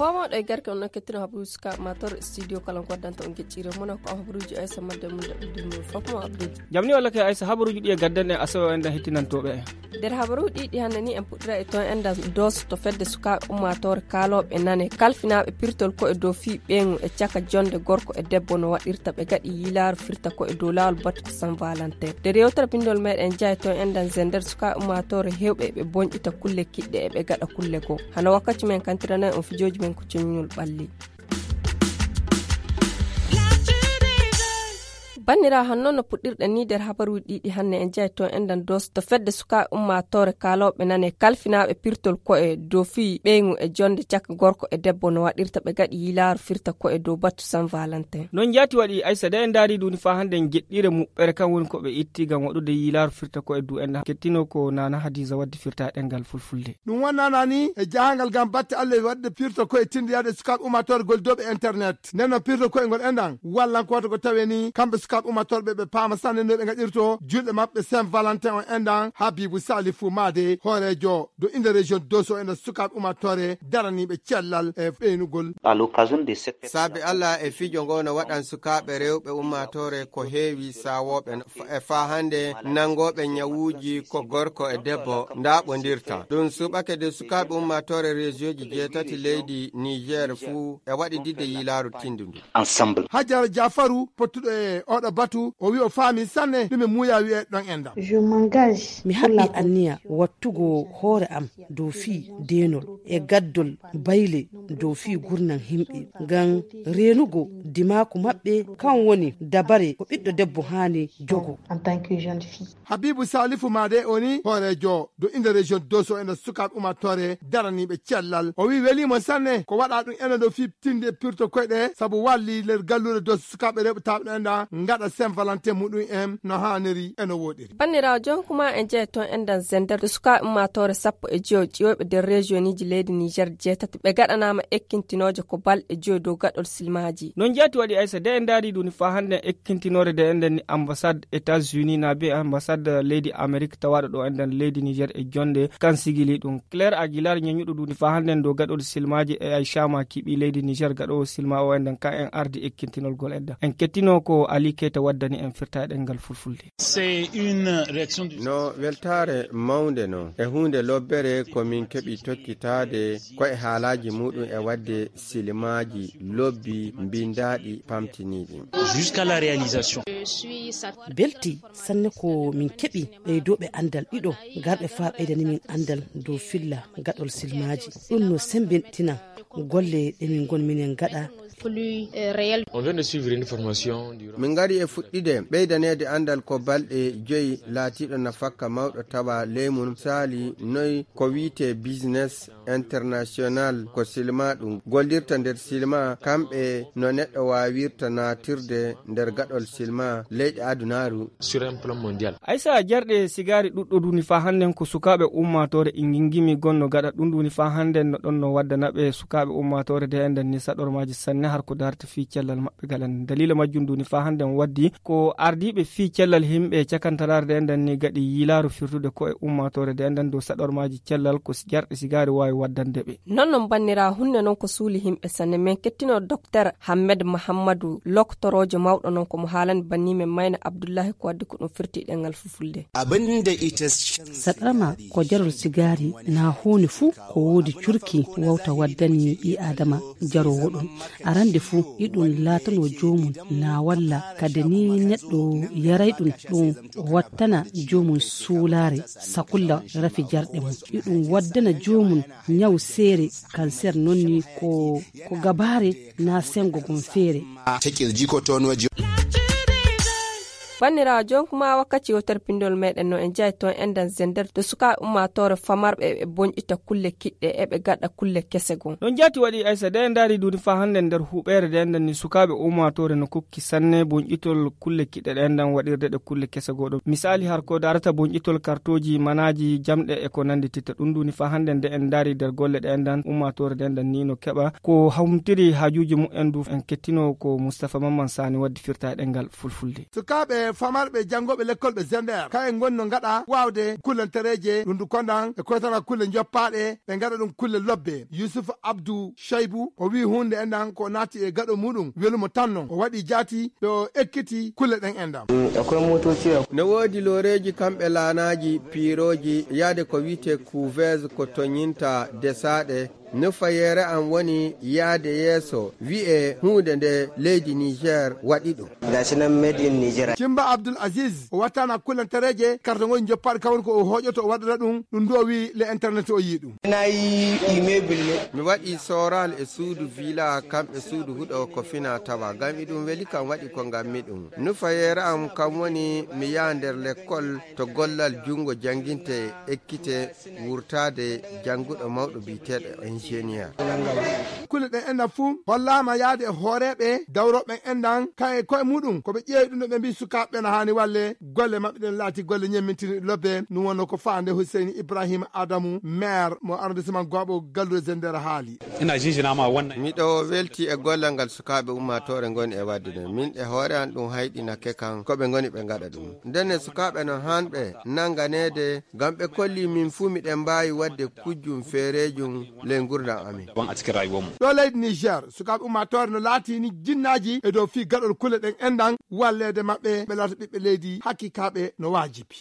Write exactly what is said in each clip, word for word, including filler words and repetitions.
Fomooɗo e garke on kettino habaruuji sukaaɓe ummaatoore studio kala ko waddanta on geccire mono ko habaruuji aysa madde mum daɓɓiɗi mum fof mo abdude. Jamni walla ke aysa habaruuji ɗi e gaddan e asawe en da hittinantooɓe en. Nder habaruuji ɗi hannde ni en puɗɗira e toon enɗan doos to fedde sukaaɓe ummaatoore kaalooɓe nane kalfinaaɓe pirtol ko e dow fii ɓeyngu e caka jonde gorko e debbo no waɗirta ɓe gaɗi yiilaaru firta ko e dow laawol batte ko san valentin. Nder yewtere bindol meɗen jaay toon enɗan zender sukaaɓe ummaatoore hewɓe eɓe bonƴita kulle kiɗɗe eɓe gaɗa kulle goo. Hano wakkati men kantirana on fijooji men ko coññol ɓalli. Banniraawo, hanno no puɗɗirɗen ni nder habaruuji ɗiɗi hannde en jaay toon enɗan doos to fedde sukaaɓe ummaatoore kaalooɓe nane kalfinaaɓe pirtol ko e dow fii ɓeyngu e jonde caka gorko e debbo no waɗirta ɓe gaɗi yiilaaru firta ko e dow battu san valentin. Noon jaati waɗi aysa de en ndaari duuni faa hannde en jeɗɗire muɓɓere kan woni ko ɓe itti ngam waɗude yiilaaru firta ko e dow enɗan kettino ko nana hadiisa wadde firta e ɗemngal fulfulde. Ɗum wonnanani e jahangal ngam batte Allah e waɗde pirto koye tindiyade sukaaɓe ummaatoore gollidooɓe internet. Nden no pirto koye ngol enɗan wallan ko waɗata ko tawe ni kamɓe sukaaɓe ummaatoore ɓe ɓe paama sanne no ɓe ngaɗirto julɗe maɓɓe Saint Valentin on enɗan. Habibu Salifu Maade hooreejo do inde région Dosso enɗan sukaaɓe ummaatoore daraniiɓe cellal e ɓeynugol. Saabe Allah e fijo ngo no waɗan sukaaɓe rewɓe ummaatoore ko heewi saawooɓe e faa hannde nanngooɓe ñawuuji ko gorko e debbo ndaaɓondirta. Ɗum suɓake de sukaaɓe ummaatoore reesiyooji jeetati leydi Niger fuu e waɗididde yiilaaru tindundu. Hajara Jafaru pottuɗo e oɗo batu o wi o faami sanne ɗum e muuya wi'e ɗon enɗan. Mi haɓɓi anniya wattugo hoore am dow fii deenol e gaddol bayle dow fii gurnan himɓe ngam reenugo dimaaku maɓɓe. Kan woni dabare ko ɓiɗɗo debbo haani jogo. Habibu Salifu Maade o ni hooreejo do inde région Dosso ene sukaaɓe ummaatoore daraniiɓe cellal. O wi weliimo sanne ko waɗa ɗum ene dow fii tinde pirto koyɗe sabu walli nder galluure Dosso sukaaɓe rewɓe taaɓe ɗo enɗan ngaɗa Saint Valentin muɗum en no haaniri eno wooɗiri. Banniraawo, jon kuma en jeya toon enɗan zender to sukaaɓe ummaatoore sappo e joyo ƴiwoyɓe nder rejiyoniji leydi Niger jeetati ɓe gaɗanaama ekkintinooje ko balɗe joyo dow gaɗol silmaaji. Noon jaati waɗi aysa de en ndaari ɗum ni faa hannde ekkintinore de enɗan ni ambassade États-Unis na be ambassade leydi Amerique tawaaɗo ɗo enɗan leydi Niger e jonde kan sigili ɗum. Claire Aguilar ñeñuɗo ɗum ni faa hannde dow gaɗol silmaaji e Aïcha Maki ɓii leydi Niger gaɗoowo silma o enɗan ka en ardi ekkintinolgol enɗan. En kettino ko Ali Keita waddani en firta e ɗemngal fulfulde. No weltaare mawnde no e huunde lobbere ko min keɓi tokkitaade ko e haalaaji muɗum e waɗde silimaaji lobbi mbindaaɗi pamtiniiɗi. Belti sanne ko min keɓi ɓeydooɓe anndal ɗiɗo garɓe faa ɓeydani min anndal dow filla gaɗol silmaaji. Ɗum no sembintina golle ɗe min ngon minen gaɗa. Min ngari e fuɗɗide ɓeydaneede anndal ko balɗe joyi laatiiɗo nafakka mawɗo tawa leymun saali noy ko wiyte business international ko silma ɗum gollirta nder silma kamɓe no neɗɗo waawirta naatirde nder gaɗol silma leyɗe adunaaru. Aysa jarɗe sigaari ɗuɗɗo duni faa hannden ko sukaaɓe ummaatoore ingingimi gonno gaɗa ɗum duni faa hannden no ɗon no waddana ɓe sukaaɓe ummaatoore de enɗan ni saɗormaaji sanne har ko darta fii cellal maɓɓe galan dalila majjum duni faa hannden waddi ko ardiiɓe fii cellal himɓe cakantaraare de enɗan ni gaɗi yiilaaru firtude ko e ummaatoore de enɗan dow saɗormaaji cellal ko jarɗe sigaari waawi waddande ɓe. Non non bannira hunde non ko suuli himɓe sanne men kettino dokter Hammed Mahammadu loktoroojo mawɗo non ko mo haalani banni men mayna Abdullahi ko waddi ko ɗum firti ɗengal fulfulde. Saɗrama ko jarol sigaari na huunde fuu ko woodi curki wawta waddani ɓii aadama jaroowo ɗum. Arande fuu iɗum laatano joomum na walla kadi ni neɗɗo yaray ɗum ɗum wattana joomum suulaare sakulla rafi jarɗe mum. Iɗum waddana joomum ñaw seere kanser non ni ko ko gabaare na sengo gom feere. Banniraawo, jonkuma wakkati wootere pinndol meɗen no en jeyi toon enɗan zender to sukaaɓe ummaatoore famarɓe eɓe bonƴita kulle kiɗɗe eɓe gaɗa kulle kese goo. Ɗon jaati waɗi Aysa de en ndaari duuni faa hannde nder huɓeere de enɗan ni sukaaɓe ummaatoore no kokki sanne bonƴitol kulle kiɗɗe ɗe enɗan waɗirde ɗe kulle kese goo ɗo. Misaali har ko daarata bonƴitol kartooji, manaaji, jamɗe e ko nanndi titta ɗum duuni faa hannde nde en ndaari nder golle ɗe enɗan ummaatoore de enɗan ni no keɓa ko humtiri haajuuji mumen du en kettino ko Mustapha Mamman Sani waddi firta e ɗemngal fulfulde. Sukaaɓe famarɓe janngooɓe lekkolɓe Zender, kayen ngoni no ngaɗa waawde kullantereeje, ɗum du kondan e koytana kulle njoppaaɗe, ɓe ngaɗa ɗum kulle lobbe. Yusuf Abdu Shaybu, o wi'i huunde enɗan ko naati e gaɗo muɗum, welu mo tan non. O waɗi jaati, ɓe o ekkiti kulle ɗen enɗan. Mm, akwai motoci a- No woodi looreeji kamɓe laanaaji, piirooji, yaade ko wi'etee couveuse, ko toñinta desaaɗe, Nufayeere am woni yaade yeeso, wi'e huunde nde leydi Niger waɗi ɗum. Gashi nan made in Nigeria. Cimba Abdul Aziz, o wattana kulantareeje, kartagol njoppaaɗo kawri ko o hooƴoto, o waɗata ɗum, ɗum du o wi'i le internet o yi'i ɗum. Na yi immeuble ne. Mi waɗi sooral e suudu villa, kam e suudu huɗo ko fina tawa. Ngam iɗum weli kam waɗi ko ngammi ɗum. Nufayeere am kam woni mi yaha nder lekkol to gollal junngo jannginte ekkite wurtaade jannguɗo mawɗo biyeteeɗo ingénieur. Kulle ɗen enɗan fuu hollaama yaade e hooreeɓe dawrooɓe enɗan, kan e koye muɗum ko ɓe ƴeewi ɗum ɗo ɓe mbii sukaaɓe ɓe no haani walle golle maɓɓe ɗen laati golle ñemmintinɗe lobbe. Ɗum wonno ko faande Huseyni Ibrahima Adamu, maire mo arrondissement Gooɓo, galluure Zender haali. Ina jinjina ma wannan. Miɗo welti e gollal ngal sukaaɓe ummaatoore ngoni e waɗde ɗum. Min e hoore an ɗum hayɗinake kan ko ɓe ngoni ɓe ngaɗa ɗum. Ndenne sukaaɓe no hanɓe nannganeede ngam ɓe kolli min fuu miɗen mbaawi waɗde kujjum feereejum ley ngurndan amin. Ɗo leydi Niger, sukaaɓe ummaatoore no laatini jinnaaji e dow fii gaɗol kulle ɗen enɗan walleede maɓɓe ɓe laata ɓiɓɓe leydi hakiikaaɓe no waajibi.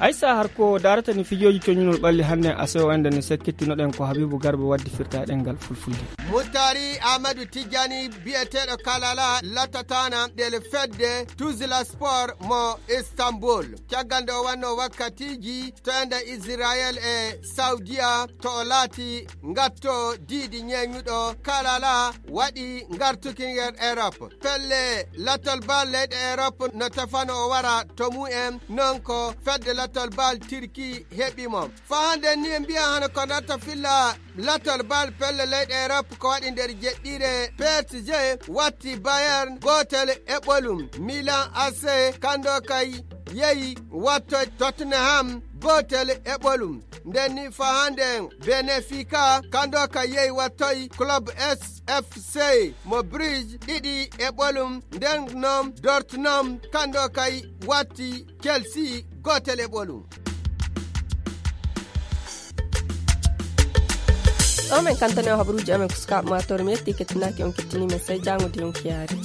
Aysa, har ko daarata ni fijooji coñunol ɓalli hannde asewo enɗan ni sekkittinoɗen ko Habibu Garba waddi firta e ɗemngal fulfulde. Mutari Ahmadu Tijjani biyeteeɗo Kalala latataana ɗel fedde Tuzla Sport mo Istanbul. Caggal nde o wanno wakkatiiji to enɗan Israel e Saudiya to o laati ngatto diidi ñeeñuɗo Kalala waɗi ngartuki nder Europe. Pelle lattol bal leyɗe Europe no tefano o wara to mumen, non ko fedde lattol bal Turki heɓi mo. Faa hannde ni en mbiya hano ko natta filla lattol bal pelle leyɗe Europe ko waɗi nder jeɗɗire P S G watti Bayern gootel e ɓolum. Milan A C kando kay yehi watto Tottenham gootel e ɓolum. Nden ni faa hannde Benfica kando kay yehi wattoy Club S F C mo Bruges ɗiɗi e ɓolum. Nden noon Dortmund kando kay watti Chelsea gootel e ɓolum. Ɗo men kantane o habaruuji amen ko sukaaɓe maatoore mi yetti kettinaaki on kettini men sey jaango de on kiyaari.